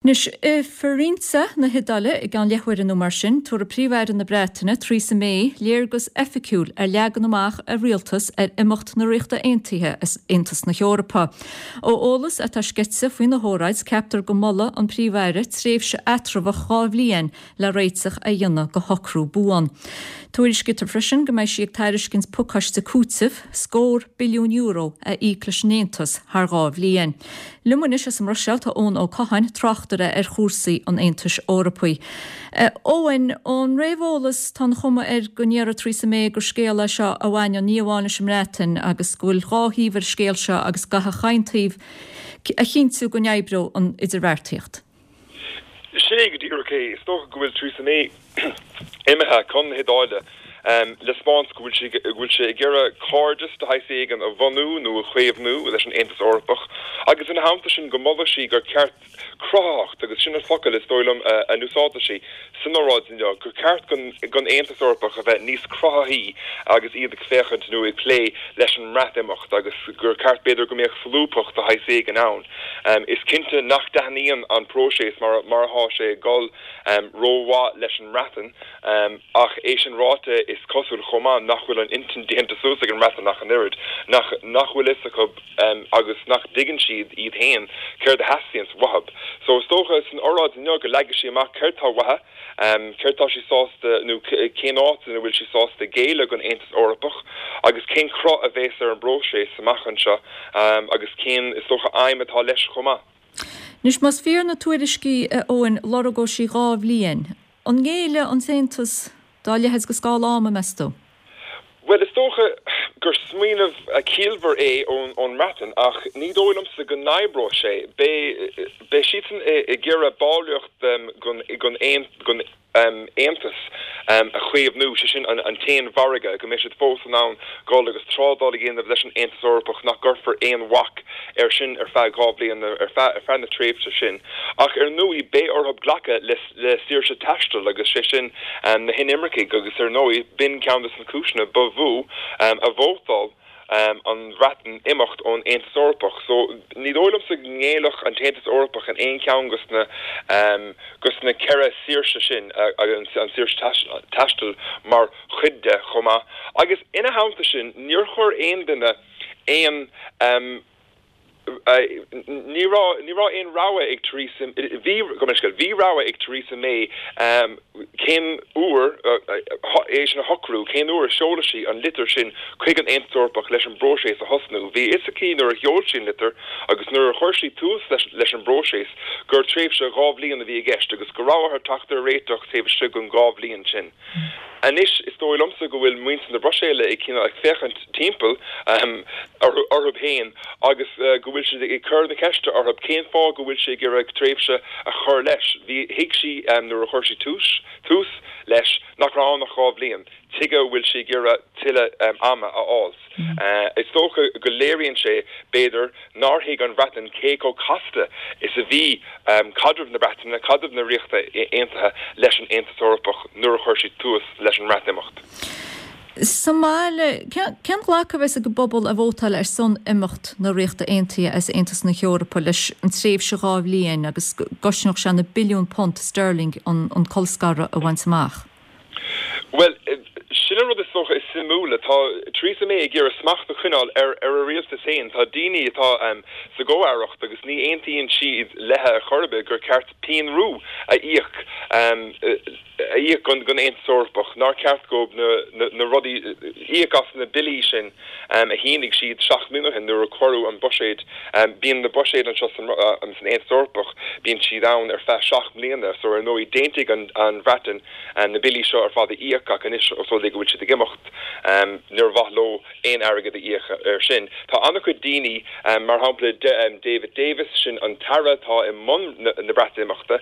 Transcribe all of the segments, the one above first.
Anois, i Firenze na hIodáile, i gceann leathuaire nó mar sin, tabharfaidh Príomh-Aire na Breataine, Theresa May, léargas oifigiúil ar leagan amach a rialtas ar imeacht na Ríochta Aontaithe as Aontas na hEorpa. Ó eolas atá sceite faoina hóráid, ceaptar go molfaidh an Príomh-Aire tréimhse eatramhach 2 bhliain le réiteach a dhéanamh do shocrú buan. Tuairiscítear freisin go mbeidh sí ag tairiscint pacáiste cúitimh, scór billiún euro, a íoc leis an Aontas thar 2 bhliain. Liom anois as an mBruiséil tá Eoin Ó Catháin, tráchtaire ar chúrsaí an Aontais Eorpaigh. A Eoin, ón réamheolas tá an chuma air go ndéarfaidh Theresa May gur scéal é seo a bhaineann ní amháin leis an mBreatain agus go bhfuil dhá thaobh ar an scéal seo agus go gcaithfidh chaon taobh a chinntiú go n-oibreoidh an idirbheartaíocht. Sin é go díreach é. Is dócha go bhfuil Theresa May imithe chun na hIodáile le 'spáint go bhfuil sí go bhfuil sí ag iarraidh cairdeas de shaghas éigin a bhunú nó a chaomhnú leis an Aontas Eorpach agus ina theannta sin go molfaidh sí gur ceart cruthaitheacht, agus sin an focal is dóigh liom a n-úsáidfidh sí san óráid inniu, gur ceart don Aontas Eorpach a bheith níos cruthaithí agus iad ag féachaint nó ag plé leis an mBreatimeacht agus gur ceart b'fhéidir go mbeadh solúbthacht de shaghas éigin ann. Is cinnte nach dtaitníonn an próiseas mar atá sé ag dul rómhaith leis an mBreatain, ach é sin ráite is cosúil chomh maith nach bhfuil an intinn déanta suas ag an mBreatain ach an oiread, nach nach bhfuil fhios acu agus nach dtuigeann siad iad féin céard a theastaíonns uathu. So is dócha san oráid inniu go leagfaidh sí amach céard tá uaithi, céard tá sí sásta nó cén áit ina bhfuil sí sásta géilleadh don Aontas Eorpach agus cén cruth a bhéas ar an bpróiseas amach anseo agus cén, is dócha, aidhm atá leis chomh maith. Anois, más fíor na tuairiscí, a Eoin, lorgóidh sí 2 bhliain. An ngéillfidh an tAontas dá leithéid de scála ama, meas tú? Bhuel, is dócha gur smaoineamh ciallmhar é ón mBreatain, ach ní dóigh liomsa go n-oibreoidh sé. Beidh siadsan ag iarraidh ballraíocht den Aontas a chaomhnú, sé sin an t-aon mhargadh, go mbeidh siad fós in ann dul agus trádáil a dhéanamh leis an Aontas Eorpach, nach gcuirfear aon bhac air sin ar feadh 2 bhliain, ar feadh na tréimhse sin. Ach ar ndóigh, beidh orthu glacadh le. le saoirse taistil agus sé sin na hinimircigh agus ar ndóigh b'in ceann de na cúiseanna ba mhó a vótáil an Bhreatain imeacht ón Aontas Eorpach. So ní dóigh liomsa go ngéillfeadh an tAontas Eorpach in aon cheann dos na dos na ceithre saoirse sin, an saoirse taistil mar chuid de chomh maith. Agus ina theannta sin níor chuir aon duine aon Ní raibh, ní raibh aon rogha ag Theresa, bhí, gabh mo leithscéal, bhí rogha ag Theresa May cén uair, é sin a shocrú, cén uair a seolfaidh sí an litir sin chuig an Aontas Eorpach leis an bpróiseas a thosnú. Bhí a fhios aici nuair a sheol sí an litir agus nuair a chuir sí tús leis an bpróiseas gur tréimhse 2 bhliain a bhí i gceist agus go raibh orthu teacht ar réiteach taobh istigh den 2 bhliain sin. Anois, is dóigh liomsa go bhfuil muintir na Bruiséile ag cineál ag féachaint timpeall orthu féin agus go bhfuil siad ag cur na ceiste orthu cén fáth go bhfuil sí ag iarraidh tréimhse a chur leis. Bhí, thuig sí nuair a chuir sí tús, tús leis nach raibh ann ach 2 bhliain. Tuige a bhfuil sí ag iarraidh tuilleadh ama a fháil? Is dócha go léiríonn sé, b'fhéidir, nár thuig an Bhreatain cé chomh casta is a bhí caidreamh na Breataine, caidreamh na Ríochta Aontaithe leis an Aontas Eorpach nuair a chuir siad tús leis an mBreatimeacht. Sa mbaile, cén glacadh a bheas ag an bpobal a vótáil ar son imeacht na Ríochta Aontaithe as Aontas na hEorpa leis an tréimhse 2 bhliain agus go gcosnódh sé na billiúin punt sterling an colscaradh a bhaint amach? Bhuel, sin an rud is dócha is suimiúla. Tá Theresa May ag iarraidh smacht a choinneáil ar a rialtas féin. Tá daoine atá sa gcomh-aireacht agus ní aontaíonn siad léithe ar chor ar bith gur ceart pianrú a íoc a íoc don Aontas Eorpach, nár cheart dóibh na rudaí íoc as na billí sin a shínigh siad 7 mbliana ó shin nuair a cuireadh an buiséad. Bíonn na buiséid anseo san Aontas Eorpach, bíonn siad ann ar feadh 7 mbliana so ar ndóigh d'aontaigh an Bhreatain na billí seo ar fad a íoc ach anois os rud é go bhfuil siad ag imeacht níor mhaith leo aon airgead a íoc air sin. Tá an-chuid daoine, mar shampla David Davis, sin an t-aire atá i mbun na Breatimeachta,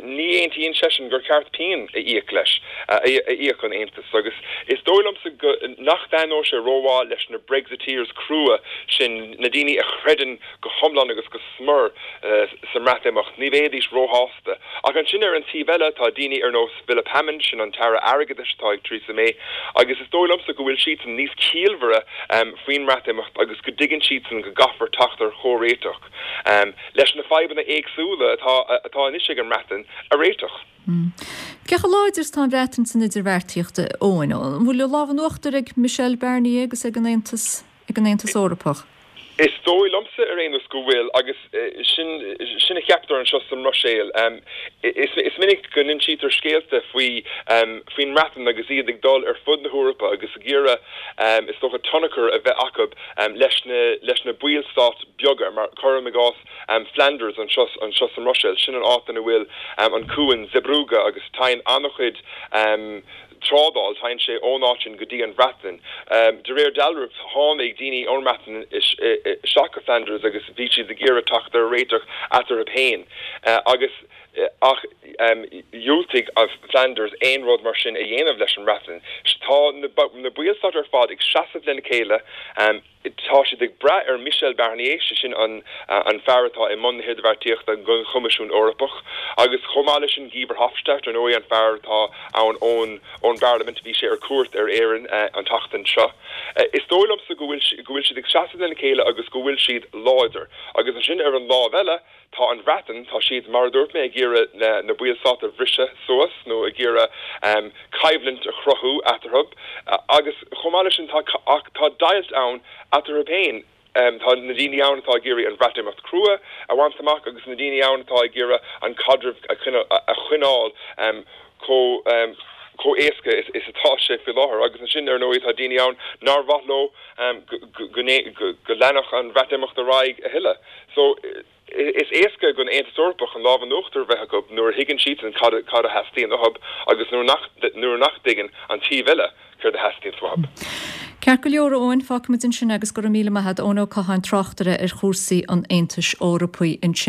ní aontaíonn seisean gur ceart pian. a íoc leis, a íoc an Aontas. Agus is dóigh liomsa go nach dtaitneoidh sé rómhaith leis na Brexiteers crua sin, na daoine a chreideann go hiomlán agus go smior sa mBreatimeacht, ní bheidís róshásta. Ach ansin ar an taobh eile tá daoine ar nós Philip Hammond, sin an tAire Airgeadais atá ag Theresa May, agus is dóigh liomsa go bhfuil siadsan níos ciallmhaire faoin mBreatimeacht agus go dtuigeann siadsan go gcaithfear teacht ar chomhréiteach leis na fadhbanna éagsúla atá atá anois ag an mBreatain a réiteach. Cé chomh láidir is atá an Bhreatain san idirbheartaíocht, a Eoin? An bhfuil an lámh in uachtar ag Michel Barnier agus ag an Aontas? ag an Aontas Eorpach. Is dóigh liomsa ar aon nós go bhfuil, agus sin sin a cheaptar anseo sa mBruiséil. Is is minic go n-insítear scéalta faoi faoin mBreatain agus iad ag dul ar fud na hEorpa agus ag iarraidh is dócha tionchar a bheith acu leis na leis na ballstáit beaga, mar cuirim i gcás Flanders anseo anseo sa mBruiséil, sin an áit ina bhfuil an cuan Zeebrugge agus téann an-chuid trádáil, téann sé ón áit sin go dtí an Bhreatain. De réir dealraimh, tháinig daoine ón mBreatain isteach go Flanders agus bhí siad ag iarraidh teacht ar réiteach eatarthu féin agus ach dhiúltaigh Flanders aon rud mar sin a dhéanamh leis an mBreatain. Tá na ballstáit ar fad ag seasamh lena chéile. Tá siad ag brath ar Michel Barnier, sé sin an fear atá i mbun na hidirbheartaíochta don Choimisiún Eorpach, agus chomh maith leis sin Guy Verhofstadt, ar ndóigh, an fear atá ann ón ón bParlaimint, bhí sé ar cuairt ar Éirinn an tseachtain seo. Is dóigh liomsa go bhfuil go bhfuil siad ag seasamh lena chéile agus go bhfuil siad láidir. Agus ansin ar an lámh eile, Tá an Bhreatain, tá siad, mar a dúirt mé, ag iarraidh na ballstáit a bhriseadh suas nó ag iarraidh coimhlint a chruthú eatarthu agus chomh maith leis sin tá, ach tá deighilt ann eatarthu féin. Tá na daoine ann atá ag iarraidh an Bhreatimeacht crua a bhaint amach agus na daoine ann atá ag iarraidh an caidreamh a choinneáil chomh chomh éasca is atá sé faoi láthair. Agus ansin, ar ndóigh, tá daoine ann nár mhaith leo go go leanfadh an Bhreatimeacht ar aghaidh a thuilleadh. So, is éasca don Aontas Eorpach an lámh in uachtar a bheith acu nuair a thuigeann siadsan cad cad a theastaíonn uathu agus nuair nach nuair nach dtuigeann an taobh eile céard a theastaíonns uathu. Ceart go leor, a Eoin, fágfaimid ansin é agus go raibh míle maith agat, Eoin Ó Catháin, tráchtaire ar chúrsaí an Aontais Eorpaigh ansin.